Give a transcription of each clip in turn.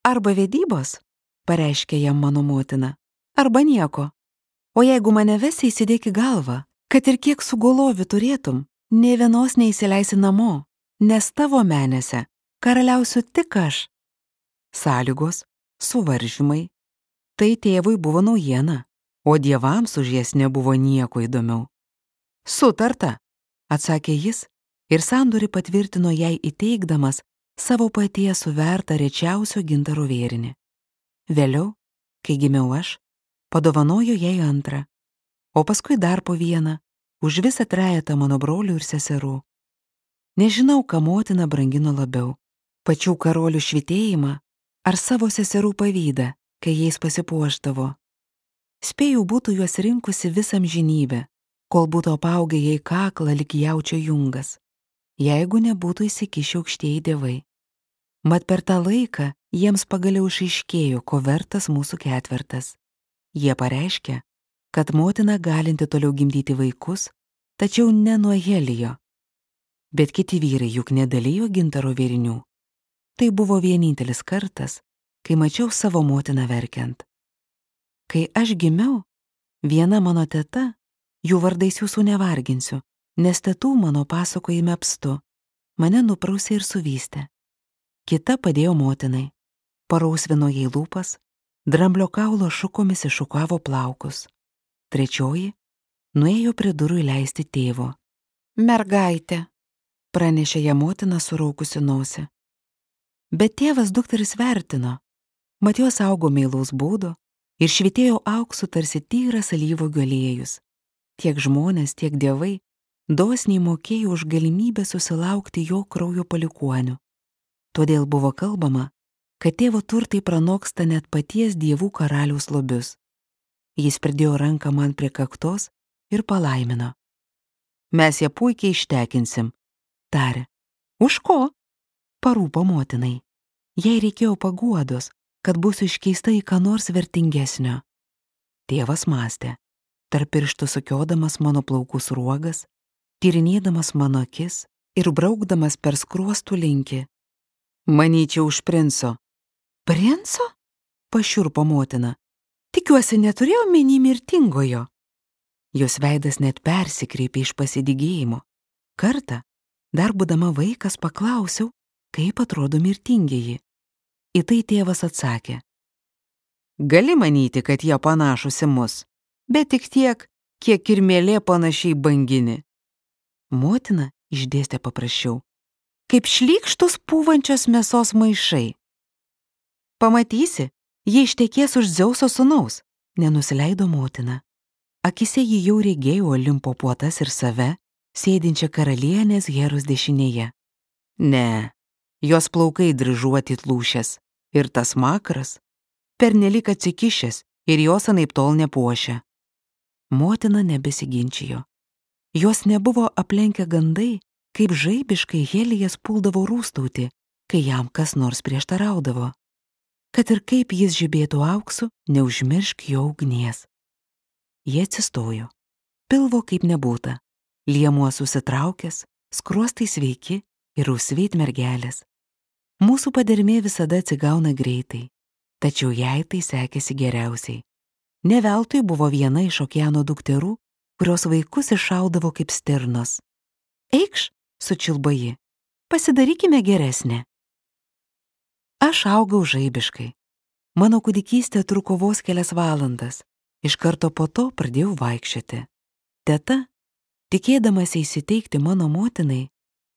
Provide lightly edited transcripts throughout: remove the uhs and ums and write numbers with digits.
Arba vedybos, pareiškė jam mano motina, arba nieko. O jeigu mane vesi, įsidėk į galvą, kad ir kiek sugolovių turėtum, nė vienos neįsileisi namo, nes tavo menėse karaliausiu tik aš. Sąlygos, suvaržymai. Tai tėvui buvo naujiena, o dievams už jas nebuvo nieko įdomiau. Sutarta, atsakė jis ir sandorį patvirtino jai įteikdamas savo paties suvertą rečiausio gintaro vėrinį. Vėliau, kai gimiau aš, padovanojo jai antrą, o paskui dar po vieną, už visą trejetą mano brolių ir seserų. Nežinau, ką motina brangino labiau, pačių karolių švytėjimą ar savo seserų pavydą, kai jais pasipuošdavo. Spėjau būtų juos rinkusi visą amžinybę, kol būtų apaugę jai kaklą lyg jaučio jungas, jeigu nebūtų įsikišę aukštieji dievai. Mat per tą laiką jiems pagaliau išaiškėjo, ko vertas mūsų ketvertas. Jie pareiškė, kad motina galinti toliau gimdyti vaikus, tačiau ne nuo Helijo. Bet kiti vyrai juk nedalijo gintaro vėrinių. Tai buvo vienintelis kartas, kai mačiau savo motiną verkiant. Kai aš gimiau, viena mano teta, jų vardais jūsų nevarginsiu, nes tetų mano pasakojime apstu, mane nuprausė ir suvystė. Kita padėjo motinai, parausvino jai lūpas, dramblio kaulo šukomis iššukavo plaukus. Trečioji nuėjo prie durų įleisti tėvo. Mergaitė, pranešė ją motina suraukusi nosį. Bet tėvas dukteris vertino, mat jos augo meilaus būdo ir švytėjo auksu tarsi tyras alyvuogių aliejus. Tiek žmonės, tiek dievai dosniai mokėjo už galimybę susilaukti jo kraujo palikuonių. Todėl buvo kalbama, kad tėvo turtai pranoksta net paties dievų karaliaus lobius. Jis pridėjo ranką man prie kaktos ir palaimino. Mes ją puikiai ištekinsim, tarė. Už ko? Parūpo motinai. Jai reikėjo paguodos, kad būsiu iškeista į ką nors vertingesnio. Tėvas mąstė, tarp pirštų sukiodamas mano plaukų sruogas, tyrinėdamas mano akis ir braukdamas per skruostų linkį. Manyčiau už princo. Princo? Pašiurpo motina. Tikiuosi neturėjau omeny mirtingojo. Jos veidas net persikreipė iš pasidygėjimo. Kartą, dar būdama vaikas, paklausiau, kaip atrodo mirtingieji. Į tai tėvas atsakė. Gali manyti, kad jie panašūs į mus, bet tik tiek, kiek kirmėlė panašiai bangini. Motina išdėstė paprasčiau. Kaip šlykštus pūvančios mėsos maišai. Pamatysi, jie ištekės už Dzeuso sūnaus, nenusileido motina. Akise ji jau regėjo Olimpo puotas ir save, sėdinčią karalienės Heros dešinėje. Ne, jos plaukai dryžuoti lūšės ir tas makaras, pernelyg atsikišęs ir jos anaiptol nepuošia. Motina nebesiginčijo. Jos nebuvo aplenkę gandai, kaip žaibiškai Helijas puldavo rūstauti, kai jam kas nors prieštaraudavo. Kad ir kaip jis žibėtų auksu, neužmiršk jo ugnies. Jie atsistojo. Pilvo kaip nebūta. Liemuo susitraukęs, skruostai sveiki ir rusveit mergelės. Mūsų padermė visada atsigauna greitai, tačiau jai tai sekėsi geriausiai. Ne veltui buvo viena iš okeano dukterų, kurios vaikus iššaudavo kaip stirnos. Eikš, sučilbo ji, pasidarykime geresnė. Aš augau žaibiškai. Mano kūdikystė truko vos kelias valandas. Iš karto po to pradėjau vaikščioti. Teta, tikėdamas įsiteikti mano motinai,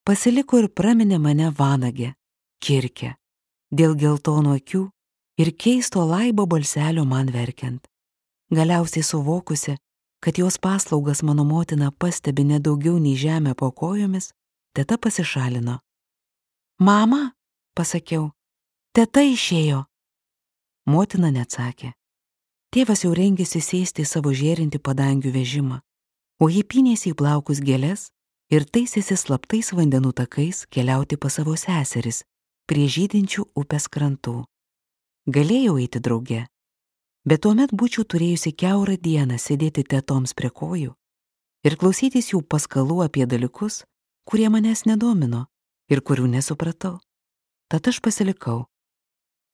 pasiliko ir praminė mane vanagę, kirkę, dėl geltonų akių ir keisto laibo balselio man verkiant. Galiausiai suvokusi, kad jos paslaugas mano motina pastebi nedaugiau nei žemę po kojomis, teta pasišalino. Mama, pasakiau, teta išėjo. Motina neatsakė. Tėvas jau rengėsi sėsti į savo žėrinti padangių vežimą, o ji pynėsi į plaukus gėles ir taisėsi slaptais vandenų takais keliauti pas savo seseris prie žydinčių upės krantų. Galėjau eiti drauge, bet tuomet būčiau turėjusi kiaurą dieną sėdėti tetoms prie kojų ir klausytis jų paskalų apie dalykus, kurie manęs nedomino ir kurių nesupratau. Tad aš pasilikau